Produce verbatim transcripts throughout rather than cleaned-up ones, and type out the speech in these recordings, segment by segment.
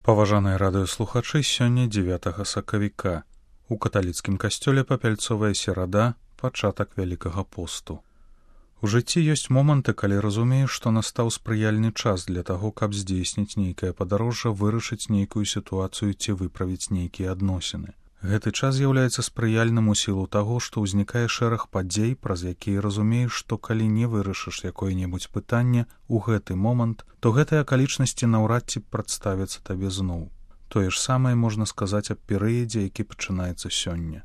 Паважаныя радыёслухачы, сёння дзевятага сакавіка. У каталіцкім касцёле папяльцовая серада, пачатак вялікага посту. У жыцці ёсць моманты, калі разумееш, што настаў спрыяльны час для таго, каб здзейсніць нейкае падарожжа, вырашыць нейкую сітуацыю ці выправіць нейкія адносіны. Гэты час з'яўляецца спрыяльным у сілу таго, што ўзнікае шэраг падзей, праз якія разумееш, што калі не вырашыш якое-небудзь пытанне ў гэты момант, то гэтыя акалічнасці наўрад ці прадставяцца табе зноў. Тое ж самае можна сказаць аб перыядзе, які пачынаецца сёння.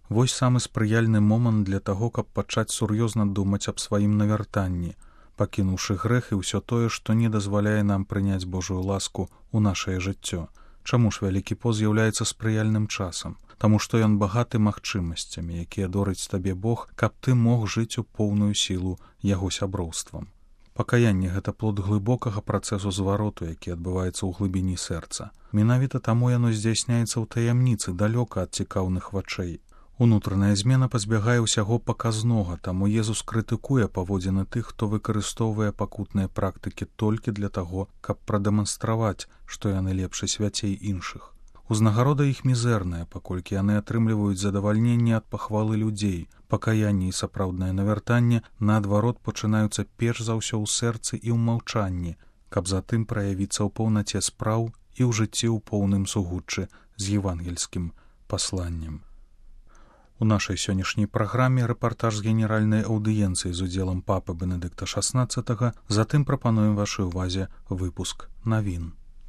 Вось самы спрыяльны момант для таго, каб пачаць сур'ёзна думаць аб сваім навяртанні, пакінуўшы грэх і ўсё тое, што не дазваляе нам прыняць Божую ласку ў нашае жыццё. Чаму ж вялікі пост з'яўляецца спрыяльным часам? Таму што ён багаты магчымасцямі, якія дорыць табе Бог, каб ты мог жыць у поўную сілу яго сяброўствам. Пакаянне — гэта плод глыбокага працэсу звароту, які адбываецца ў глыбіні сэрца. Менавіта таму яно здзяйсняецца ў таямніцы, далёка ад цікаўных вачэй. Унутраная змена пазбягае ўсяго паказнога, таму Езус крытыкуе паводзіны тых, хто выкарыстоўвае пакутныя практыкі толькі для таго, каб прадэманстраваць, што яны лепш і свяцей іншых. Узнагарода іх мізэрная, паколькі яны атрымліваюць задавальненне ад пахвалы людзей. Пакаянне і сапраўднае навяртанне, наадварот, пачынаюцца перш за ўсё ў сэрцы і ў маўчанні, каб затым праявіцца ў паўнаце спраў і ў жыцці ў поўным сугуччы з евангельскім пасланнем. У нашай сённяшняй праграме рэпартаж з генеральнай аўдыенцыі з удзелам папы Бенедыкта шаснаццатага, затым прапануем вашай увазе выпуск навін.